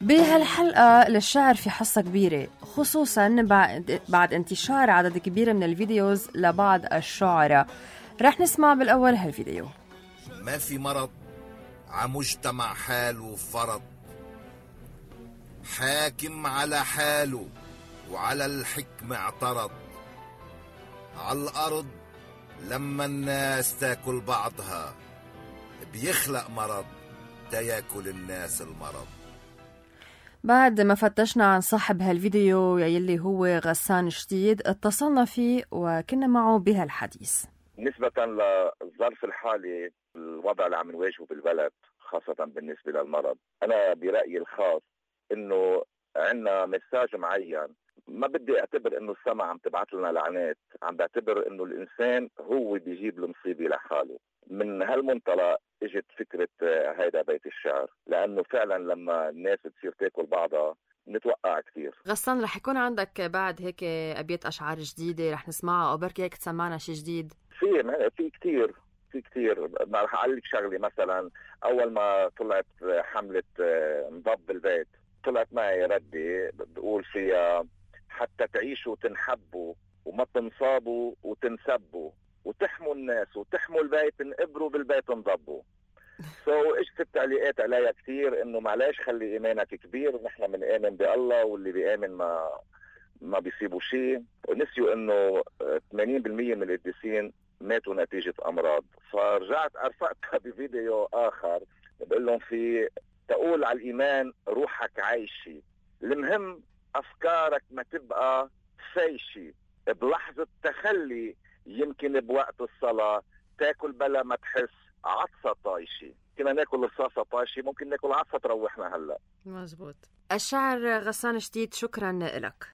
بهالحلقة للشعر في حصة كبيرة، خصوصاً بعد انتشار عدد كبير من الفيديوز لبعض الشعراء. رح نسمع بالأول هالفيديو. ما في مرض عمجتمع حاله فرض، حاكم على حاله وعلى الحكم اعترض. على الأرض لما الناس تاكل بعضها بيخلق مرض تياكل الناس المرض. بعد ما فتشنا عن صاحب هالفيديو يلي هو غسان جديد، اتصلنا فيه وكنا معه بهالحديث. نسبة للظرف الحالي، الوضع اللي عم نواجهه بالبلد خاصة بالنسبة للمرض، أنا برأيي الخاص إنه عنا مساج معين. ما بدي أعتبر إنه السماء عم تبعث لنا لعنات، عم بعتبر إنه الإنسان هو بيجيب المصيبة لحاله. من هالمنطلق اجت فكرة هيدا بيت الشعر، لأنه فعلا لما الناس تصير تاكل بعضها نتوقع كثير. غسان، رح يكون عندك بعد هيك أبيات أشعار جديدة رح نسمعها، أو بركي هيك تسمعنا شي جديد؟ في كتير. ما رح أقول لك شغلة، مثلا أول ما طلعت حملة نضب البيت طلعت معي ردي بقول فيها: حتى تعيشوا وتنحبوا وما تنصابوا وتنسبوا وتحموا الناس وتحموا البيت، انقبروا بالبيت انضبوا. اجت التعليقات عليها كثير انه معلش خلي ايمانك كبير، نحن بنآمن بالله واللي بيآمن ما بيصيبوا شيء. نسيوا انه 80% من القديسين ماتوا نتيجة امراض. فرجعت ارفقتها بفيديو اخر بقول لهم فيه: تقول على الايمان روحك عايشي، المهم افكارك ما تبقى فايشي، بلحظة تخلي يمكن بوقت الصلاة تاكل بلا ما تحس عطسة طايشي. كنا ناكل رصاصة طايشي، ممكن ناكل عطسة تروحنا هلا. مزبوط. الشاعر غسان جديد، شكرا لك.